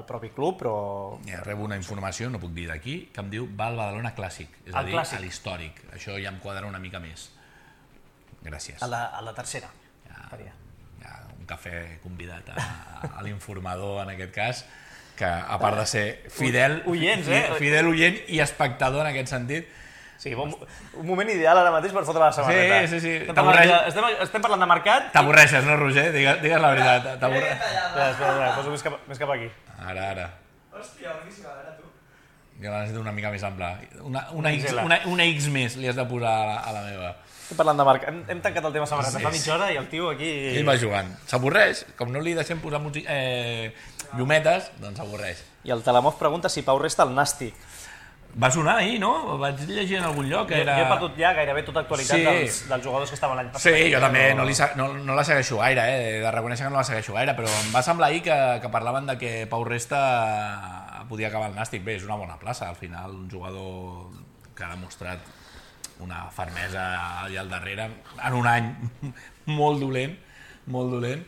propi club, però... Rebo una informació, no puc dir d'aquí, que em diu va al Badalona Clàssic, és a dir, a l'històric. Això ja em quadra una mica més. Gràcies. A la tercera. Un cafè convidat a l'informador, en aquest cas, que a part de ser fidel oient i espectador en aquest sentit. Sí, un moment ideal ara mateix per fotre la samarreta. Sí. Estem parlant de mercat... T'avorreixes, no, Roger? Digues la veritat. Espera, poso més cap aquí. Ara. Hòstia, boníssima, a veure tu. Jo la necessito una mica més ampla. Una X més li has de posar a la meva. Estem parlant de mercat. Hem tancat el tema samarreta fa mitja hora i el tio aquí... Ell va jugant. S'avorreix. Com no li deixem posar llumetes, doncs s'avorreix. I el Talamov pregunta si Pau resta al Nàstic. Va sonar ahir, no? Vaig llegir en algun lloc que era... Jo he perdut ja gairebé tota actualitat dels jugadors que estaven l'any passat. Sí, jo també no la segueixo gaire, he de reconèixer que no la segueixo gaire, però em va semblar ahir que parlaven de que Pau Resta podia acabar al Nàstic. Bé, és una bona plaça, al final, un jugador que ha demostrat una fermesa allà al darrere, en un any molt dolent.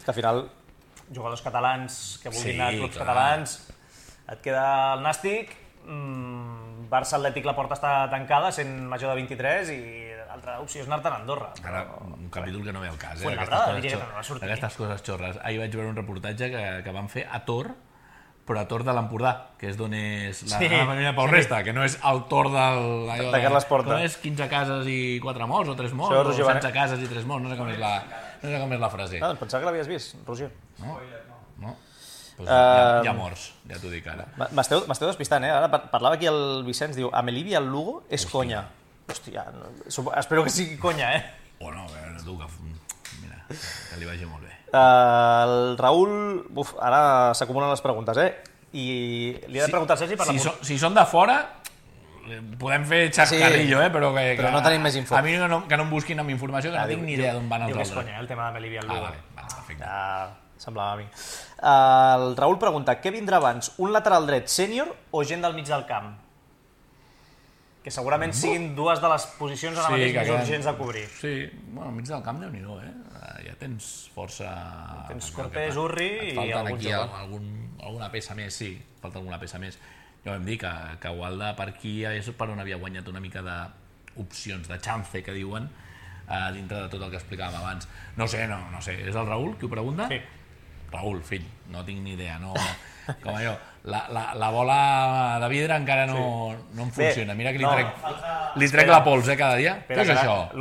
Que al final, jugadors catalans que vulguin anar a clubs catalans, et queda el Nàstic, Barça Atlètic la porta està tancada, sent major de 23, i l'altra opció és anar-te'n a Andorra. Ara, un capítol que no ve al cas, aquestes coses xorres. Ahir vaig veure un reportatge que van fer a Tor, però a Tor de l'Empordà, que és d'on és la família Pau Resta, que no és el Tor de Carles Porta. Com és 15 cases i 4 morts, o 3 morts, o 16 cases i 3 morts, no sé com és la frase. Doncs pensava que l'havies vist, Roger. No? Hi ha morts, ja t'ho dic ara. M'esteu despistant, Ara parlava aquí el Vicenç, diu, Amelí al Lugo és conya. Hòstia, espero que sigui conya, Bueno, a veure, tu, mira, que li vagi molt bé. El Raül, ara s'acumulen les preguntes, i li he de preguntar al Sergi per la... Si són de fora, podem fer xascarrillo, però no tenim més info. A mi que no em busquin amb informació, que no tinc ni idea d'on van els altres. Diu que és conya, el tema d'Amelí al Lugo. Vale, perfecte. Semblava a mi. El Raül pregunta, què vindrà abans, un lateral dret sènior o gent del mig del camp? que segurament siguin dues de les posicions ara mateix més urgents de cobrir. Sí, bueno, al mig del camp, Déu-n'hi-do, ja tens força... Tens Cortés, Urri i algun jove. Alguna peça més, sí, falta alguna peça més. Ja vam dir que Gualda per aquí és per on havia guanyat una mica d'opcions, de chance, que diuen, dintre de tot el que explicàvem abans. No sé, és el Raül qui ho pregunta? Sí. Raül, fill, no tinc ni idea, no... Com allò, la bola de vidre encara no em funciona. Mira que li trec la pols, cada dia. Què és això?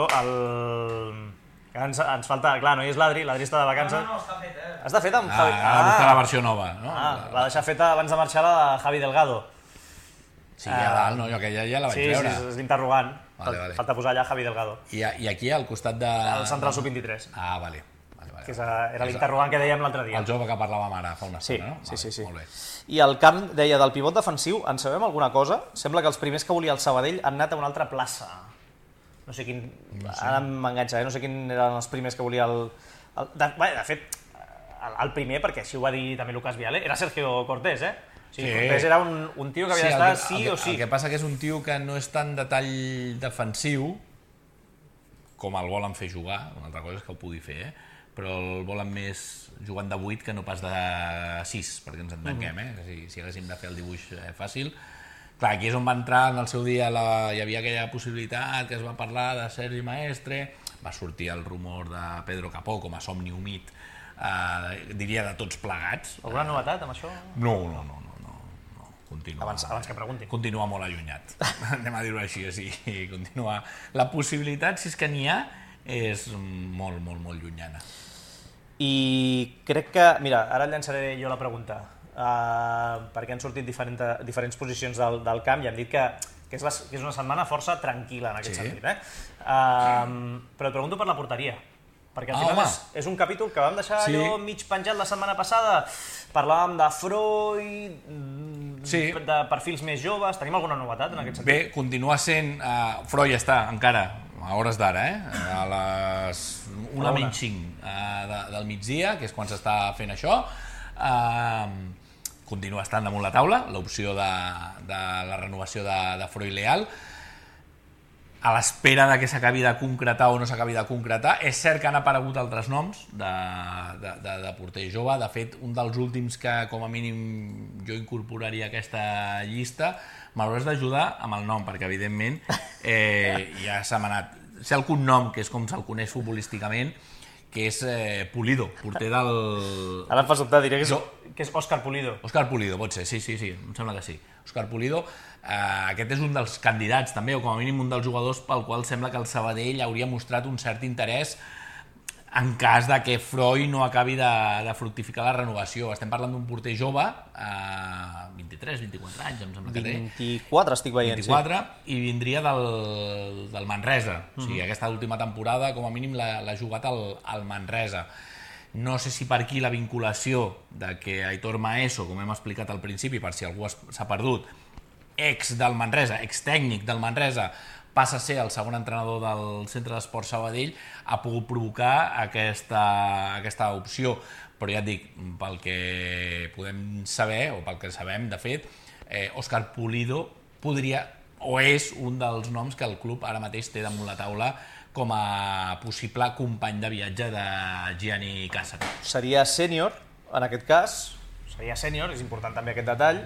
Ens falta... Clar, no hi és l'Adri està de vacances. No, està fet, Està fet amb Javi... Ha de buscar la versió nova, no? Va deixar feta abans de marxar la de Javi Delgado. Sí, a dalt, no? Jo aquella ja la vaig veure. Sí, és l'interrogant. Vale. Falta posar allà Javi Delgado. I aquí, al costat de... El central sub-23. Ah, vale. Que era l'interrogant que dèiem l'altre dia. El jove que parlàvem ara fa una estona, no? Sí. Molt bé. I el camp deia del pivot defensiu, en sabem alguna cosa? Sembla que els primers que volia el Sabadell han anat a una altra plaça. No sé quin... Ara m'enganxa, no sé quin eren els primers que volia el... De fet, el primer, perquè així ho va dir també Lucas Viale, era Sergio Cortés, O sigui, Cortés era un tio que havia d'estar sí o sí. El que passa que és un tio que no és tan de tall defensiu com el volen fer jugar, una altra cosa és que ho pugui fer, però el volen més jugant de 8 que no pas de 6, perquè ens entenguem, si haguéssim de fer el dibuix fàcil. Clar, aquí és on va entrar en el seu dia, hi havia aquella possibilitat que es va parlar de Sergi Maestre, va sortir el rumor de Pedro Capó com a somni humit, diria de tots plegats. Alguna novetat amb això? No. Continua, abans que preguntin. Continua molt allunyat, anem a dir-ho així, continua. La possibilitat, si és que n'hi ha, és molt llunyana. I crec que... Mira, ara llançaré jo la pregunta, perquè han sortit diferents posicions del camp i hem dit que és una setmana força tranquil·la en aquest sentit. Però et pregunto per la porteria, perquè al final és un capítol que vam deixar allò mig penjat la setmana passada. Parlàvem de Freud, de perfils més joves. Tenim alguna novetat en aquest sentit? Bé, continua sent... Freud està encara a hores d'ara, a les 1:05 del migdia, que és quan s'està fent això. Continua estant damunt la taula l'opció de la renovació de Freud Leal, a l'espera de que s'acabi de concretar o no s'acabi de concretar. És cert que han aparegut altres noms de porter jove. De fet, un dels últims que com a mínim jo incorporaria a aquesta llista, m'hauràs d'ajudar amb el nom, perquè evidentment ja se m'ha anat. Sé el cognom, que és com se'l coneix futbolísticament, que és Pulido, porter del... Ara em fas dubtar, diré que és Òscar Pulido. Òscar Pulido, pot ser, sí, em sembla que sí. Òscar Pulido, aquest és un dels candidats també, o com a mínim un dels jugadors pel qual sembla que el Sabadell hauria mostrat un cert interès en cas de que Freud no acabi de fructificar la renovació. Estem parlant d'un porter jove, 23, 24 anys, em sembla que té. 24 estic veient, 24, i vindria del Manresa. O sigui, aquesta última temporada, com a mínim, l'ha jugat al Manresa. No sé si per aquí la vinculació de que Aitor Maeso, com hem explicat al principi, per si algú s'ha perdut, ex del Manresa, ex tècnic del Manresa, passa a ser el segon entrenador del Centre d'Esports Sabadell, ha pogut provocar aquesta opció. Però ja et dic, pel que podem saber, o pel que sabem, de fet, Òscar Pulido podria, o és un dels noms que el club ara mateix té damunt la taula com a possible company de viatge de Gianni Cassano. Seria sènior, en aquest cas, és important també aquest detall.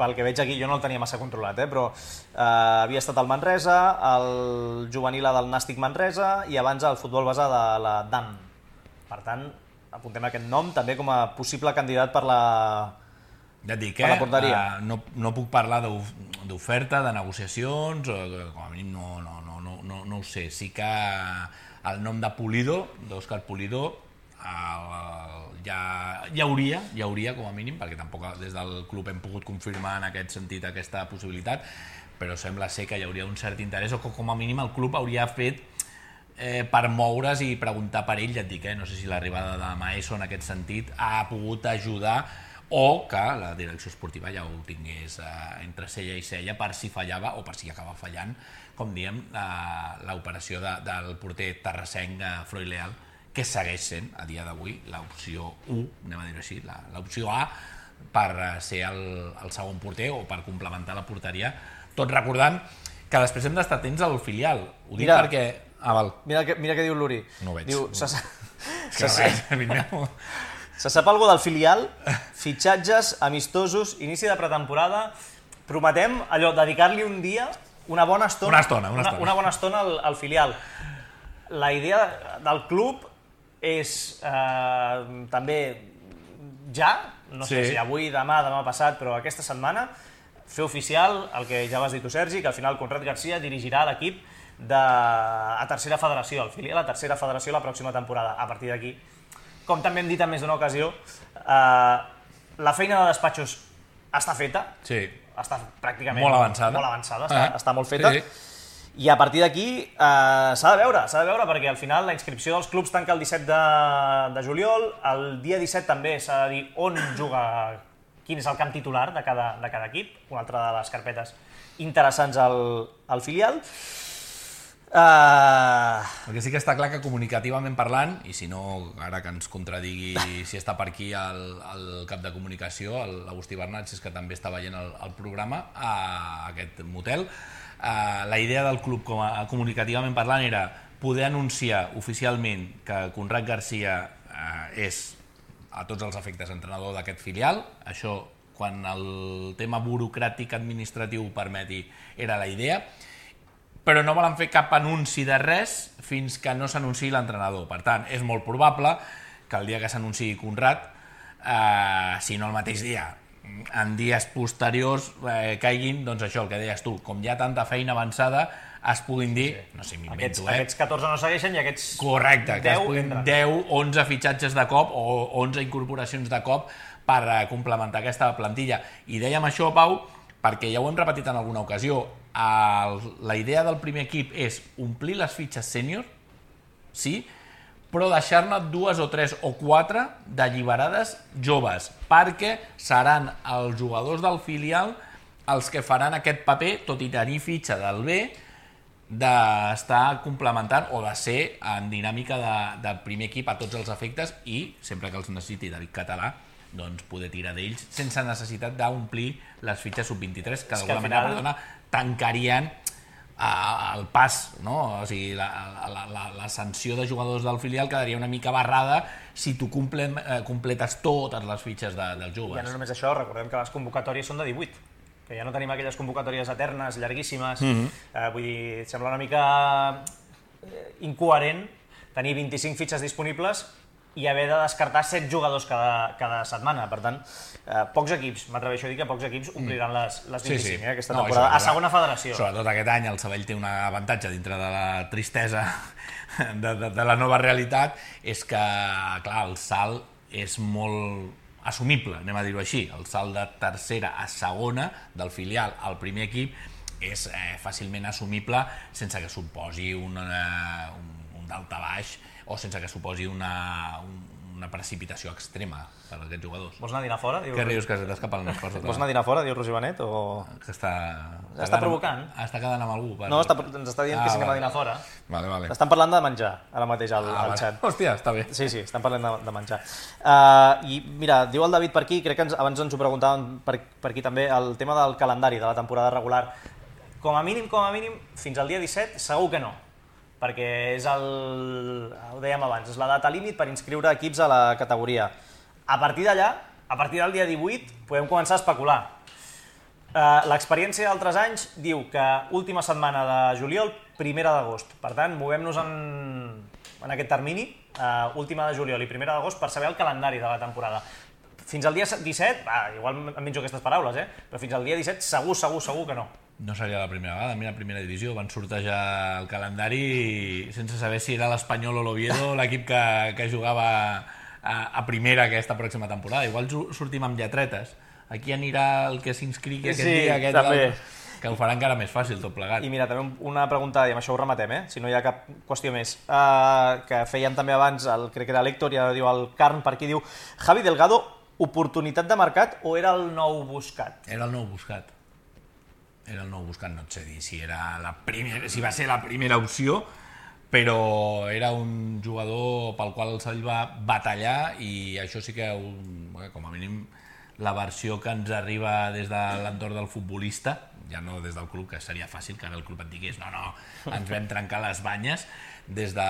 Pel que veig aquí, jo no el tenia massa controlat, però havia estat al Manresa, el juvenil del Nàstic Manresa i abans el futbol base de la DAM. Per tant, apuntem aquest nom també com a possible candidat per la porteria. No puc parlar d'oferta, de negociacions, com a mínim no ho sé. Sí que el nom de Pulido, d'Òscar Pulido, hi hauria com a mínim, perquè tampoc des del club hem pogut confirmar en aquest sentit aquesta possibilitat, però sembla ser que hi hauria un cert interès, o que com a mínim el club hauria fet per moure's i preguntar per ell. Ja et dic, no sé si l'arribada de Maeso en aquest sentit ha pogut ajudar, o que la direcció esportiva ja ho tingués entre cella i cella per si fallava o per si acaba fallant, com diem, l'operació del porter terrassenc Freud Leal, que segueix sent, a dia d'avui, l'opció 1, anem a dir-ho així, l'opció A, per ser el segon porter o per complementar la porteria. Tot recordant que després hem d'estar atents al filial. Ho dic Mira. perquè... Val. Mira què diu l'Uri. No ho veig. Diu, És que no veig, amic meu. se sap alguna del filial, fitxatges, amistosos, inici de pretemporada. Prometem allò, dedicar-li un dia, una bona estona, una bona estona al filial. La idea del club és també ja, no sé si avui, demà passat, però aquesta setmana, fer oficial el que ja vas dir tu, Sergi, que al final Conrad Garcia dirigirà l'equip a tercera federació, el filial a tercera federació la pròxima temporada. A partir d'aquí, com també hem dit en més d'una ocasió, la feina de despatxos està feta, està pràcticament molt avançada, està molt feta, i a partir d'aquí s'ha de veure, perquè al final la inscripció dels clubs tanca el 17 de juliol, el dia 17 també s'ha de dir on juga, quin és el camp titular de cada equip, una altra de les carpetes interessants al filial. El que sí que està clar que comunicativament parlant, i si no, ara que ens contradigui si està per aquí el cap de comunicació, l'Agustí Bernat, si és que també està veient el programa a aquest motel, la idea del club comunicativament parlant era poder anunciar oficialment que Conrad Garcia és a tots els efectes entrenador d'aquest filial. Això, quan el tema burocràtic administratiu ho permeti, era la idea, però no volen fer cap anunci de res fins que no s'anunciï l'entrenador. Per tant, és molt probable que el dia que s'anunciï Conrad, si no el mateix dia, en dies posteriors caiguin, doncs això, el que deies tu, com hi ha tanta feina avançada, es puguin dir, no sé, m'invento, Aquests 14 no segueixen i aquests 10 correcte, que es puguin 10, 11 fitxatges de cop o 11 incorporacions de cop per complementar aquesta plantilla. I dèiem això, Pau, perquè ja ho hem repetit en alguna ocasió, la idea del primer equip és omplir les fitxes sènior, sí, però deixar-ne 2 o 3 o 4 d'alliberades joves, perquè seran els jugadors del filial els que faran aquest paper, tot i tenir fitxa del B, d'estar complementant o de ser en dinàmica de primer equip a tots els efectes i, sempre que els necessiti David Català, doncs poder tirar d'ells sense necessitat d'omplir les fitxes sub-23, que d'alguna manera tancarien el pas, no? O sigui, la sanció de jugadors del filial quedaria una mica barrada si tu completes totes les fitxes dels joves. Ja no només això, recordem que les convocatòries són de 18, que ja no tenim aquelles convocatòries eternes, llarguíssimes. Vull dir, sembla una mica incoherent tenir 25 fitxes disponibles i haver de descartar 7 jugadors cada setmana. Per tant, pocs equips, m'atreveixo a dir que pocs equips ompliran les 25 aquesta temporada, a segona federació. Sobretot aquest any el Sabell té un avantatge dintre de la tristesa de la nova realitat, és que, clar, el salt és molt assumible, anem a dir-ho així. El salt de tercera a segona, del filial al primer equip, és fàcilment assumible sense que suposi un daltabaix o sense que suposi una precipitació extrema per a aquests jugadors. Vols anar a dinar fora? Què rius, que t'escapen les coses? Vols anar a dinar fora, diu Roger Benet? Que està provocant? Està quedant amb algú. No, ens està dient que si anem a dinar fora. Vale. Estan parlant de menjar, ara mateix, al xat. Hòstia, està bé. Sí, estan parlant de menjar. I mira, diu el David per aquí, crec que abans ens ho preguntàvem per aquí també, el tema del calendari de la temporada regular. Com a mínim, fins al dia 17, segur que no. Perquè és ho dèiem abans, és la data límit per inscriure equips a la categoria. A partir d'allà, a partir del dia 18, podem començar a especular. L'experiència d'altres anys diu que última setmana de juliol, primera d'agost. Per tant, movem-nos en aquest termini, última de juliol i primera d'agost, per saber el calendari de la temporada. Fins al dia 17, igual em menjo aquestes paraules, però fins al dia 17 segur que no. No seria la primera vegada. Mira, primera divisió, van sortejar el calendari sense saber si era l'Espanyol o l'Oviedo l'equip que jugava a primera aquesta pròxima temporada. Igual sortim amb lletretes. Aquí anirà el que s'inscrigui aquest dia, aquest també. Que ho farà encara més fàcil tot plegat. I mira, també una pregunta, i amb això ho rematem, si no hi ha cap qüestió més, que fèiem també abans, crec que era l'Héctor, i ara diu el Carn per aquí, diu Javi Delgado, oportunitat de mercat o era el nou buscat? Era el nou buscat. No et sé dir si va ser la primera opció, però era un jugador pel qual el Sabell va batallar i això sí que, com a mínim, la versió que ens arriba des de l'entorn del futbolista, ja no des del club, que seria fàcil que ara el club et digués no, ens vam trencar les banyes des de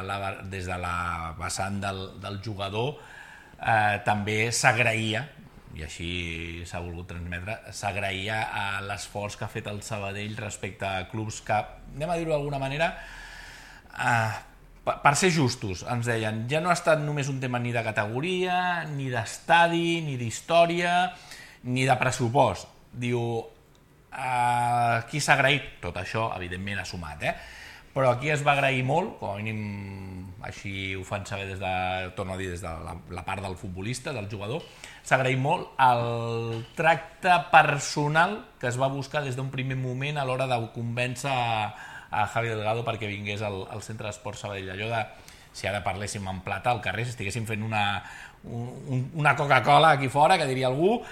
la vessant del jugador. També s'agraïa, i així s'ha volgut transmetre, s'agraïa l'esforç que ha fet el Sabadell respecte a clubs que, anem a dir-ho d'alguna manera, per ser justos, ens deien, ja no ha estat només un tema ni de categoria, ni d'estadi, ni d'història, ni de pressupost. Diu, qui s'ha agraït? Tot això, evidentment, ha sumat, però aquí es va agrair molt, com a mínim així ho fan saber torno a dir, des de la part del futbolista, del jugador, s'ha agraït molt el tracte personal que es va buscar des d'un primer moment a l'hora de convèncer a Javi Delgado perquè vingués al Centre d'Esports Sabadell. Allò de, si ara parléssim en plata al carrer, si estiguéssim fent una Coca-Cola aquí fora, que diria algú,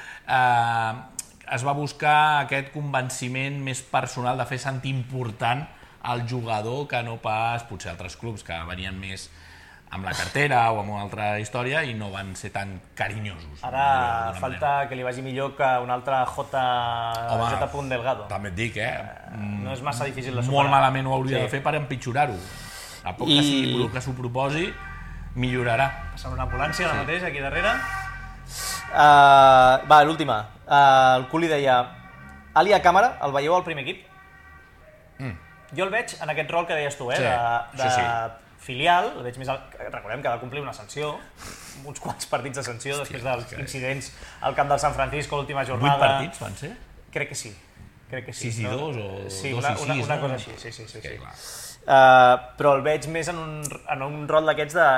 es va buscar aquest convenciment més personal de fer sentir important al jugador que no pas potser altres clubs que venien més amb la cartera o amb una altra història i no van ser tan carinyosos. Ara falta que li vagi millor que un altre J. Delgado. També et dic, no és massa difícil de superar. Molt malament ho hauria de fer per empitjorar-ho. A poc que sigui el que s'ho proposi, millorarà. Passant una ambulància ara mateix, aquí darrere. Va, l'última. El Culi deia, Alia Càmera, el veieu al primer equip? Jo el veig en aquest rol que deies tu, de filial, el veig més... Recordem que ha de complir una sanció, uns quants partits de sanció després dels incidents al camp del San Francisco l'última jornada. 8 partits van ser? Crec que sí. 6 i 2 o 2 i 6, una cosa així, sí. Però el veig més en un rol d'aquests de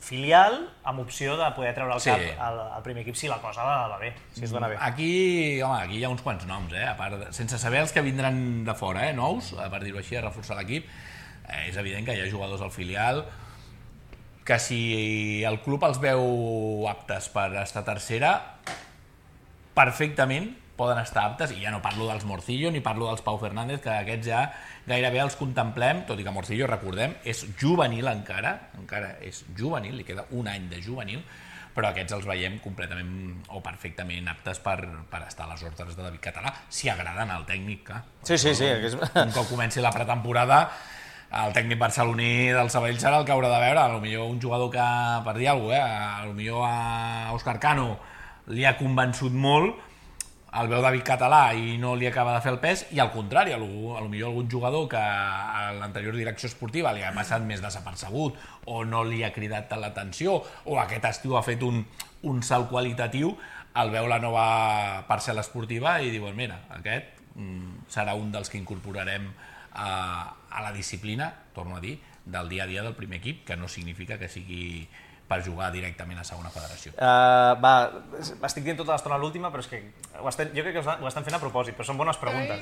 filial amb opció de poder treure el cap al primer equip si la cosa va bé, si es dona bé. Aquí hi ha uns quants noms, a part, sense saber els que vindran de fora, nous, per dir-ho així, a reforçar l'equip. És evident que hi ha jugadors al filial que si el club els veu aptes per estar tercera, perfectament poden estar aptes, i ja no parlo dels Morcillo ni parlo dels Pau Fernández, que aquests ja gairebé els contemplem, tot i que Morcillo, recordem, és juvenil encara és juvenil, li queda un any de juvenil, però aquests els veiem completament o perfectament aptes per estar a les ordres de David Català, si agraden al tècnic. Sí. Un cop comenci la pretemporada, el tècnic barceloní del Sabadell serà el que haurà de veure. Potser un jugador que, per dir alguna cosa, potser a Òscar Cano li ha convençut molt, el veu David Català i no li acaba de fer el pes, i al contrari, potser algun jugador que a l'anterior direcció esportiva li ha passat més desapercebut o no li ha cridat tant l'atenció o aquest estiu ha fet un salt qualitatiu, el veu la nova parcel·la esportiva i diuen, mira, aquest serà un dels que incorporarem a la disciplina, torno a dir, del dia a dia del primer equip, que no significa que sigui per jugar directament a segona federació. Estic dient tota l'estona l'última, però és que jo crec que ho estan fent a propòsit, però són bones preguntes,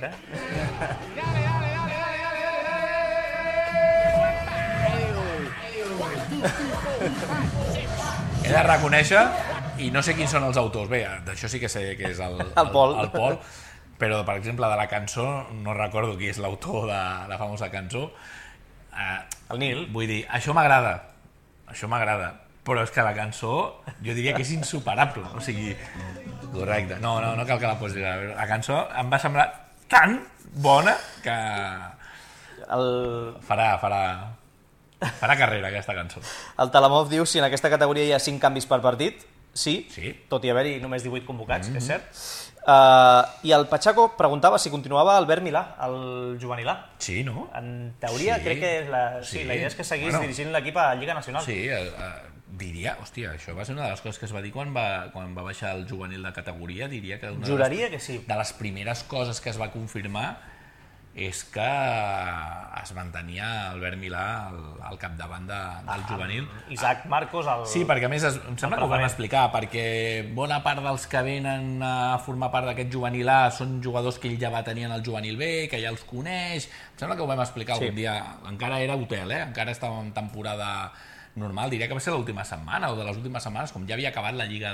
He de reconèixer, i no sé quins són els autors, bé, d'això sí que sé que és el Pol, però, per exemple, de la cançó, no recordo qui és l'autor de la famosa cançó. El Nil. Vull dir, això m'agrada, però és que la cançó, jo diria que és insuperable, o sigui, correcte, no cal que la posis. La cançó em va semblar tan bona que farà carrera, aquesta cançó. El Talamov diu si en aquesta categoria hi ha 5 canvis per partit. Sí, tot i haver-hi només 18 convocats, és cert. I el Pachaco preguntava si continuava Albert Milà, el juvenilà. Sí, no? En teoria, crec que la idea és que seguís dirigint l'equip a Lliga Nacional. Sí, diria, hòstia, això va ser una de les coses que es va dir quan va baixar el juvenil de categoria, diria que juraria que sí. De les primeres coses que es va confirmar és que es mantenia Albert Milà al capdavant del juvenil. Isaac Marcos, Sí, perquè a més em sembla que ho vam explicar, perquè bona part dels que venen a formar part d'aquest juvenil A són jugadors que ell ja va tenir en el juvenil B, que ja els coneix. Em sembla que ho vam explicar algun dia. Encara era hotel, encara estava en temporada normal. Diria que va ser l'última setmana o de les últimes setmanes, com ja havia acabat la Lliga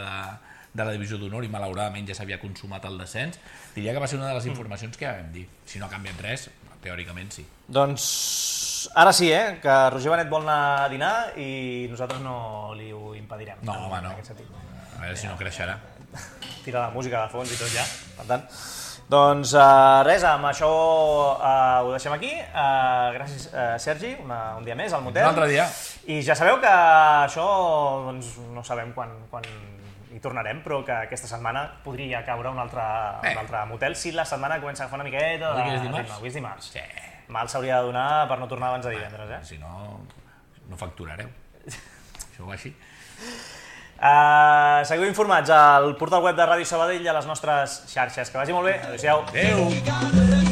de la Divisió d'Honor i malauradament ja s'havia consumat el descens, diria que va ser una de les informacions que ja vam dir. Si no ha canviat res, teòricament sí. Doncs ara sí, que Roger Benet vol anar a dinar i nosaltres no li ho impedirem. No, home, no. A veure si no creixerà. Tira la música de fons i tot ja, per tant. Doncs res, amb això ho deixem aquí. Gràcies, Sergi, un dia més al motel. Un altre dia. I ja sabeu que això doncs, no sabem quan hi tornarem, però que aquesta setmana podria caure un altre motel si la setmana comença a agafar una miqueta de ritme. Avui és dimarts. Sí. Mal s'hauria de donar per no tornar abans de divendres, Si no, no facturareu. Això va així. Seguiu informats al portal web de Ràdio Sabadell i a les nostres xarxes. Que vagi molt bé. Adéu-siau. Adéu.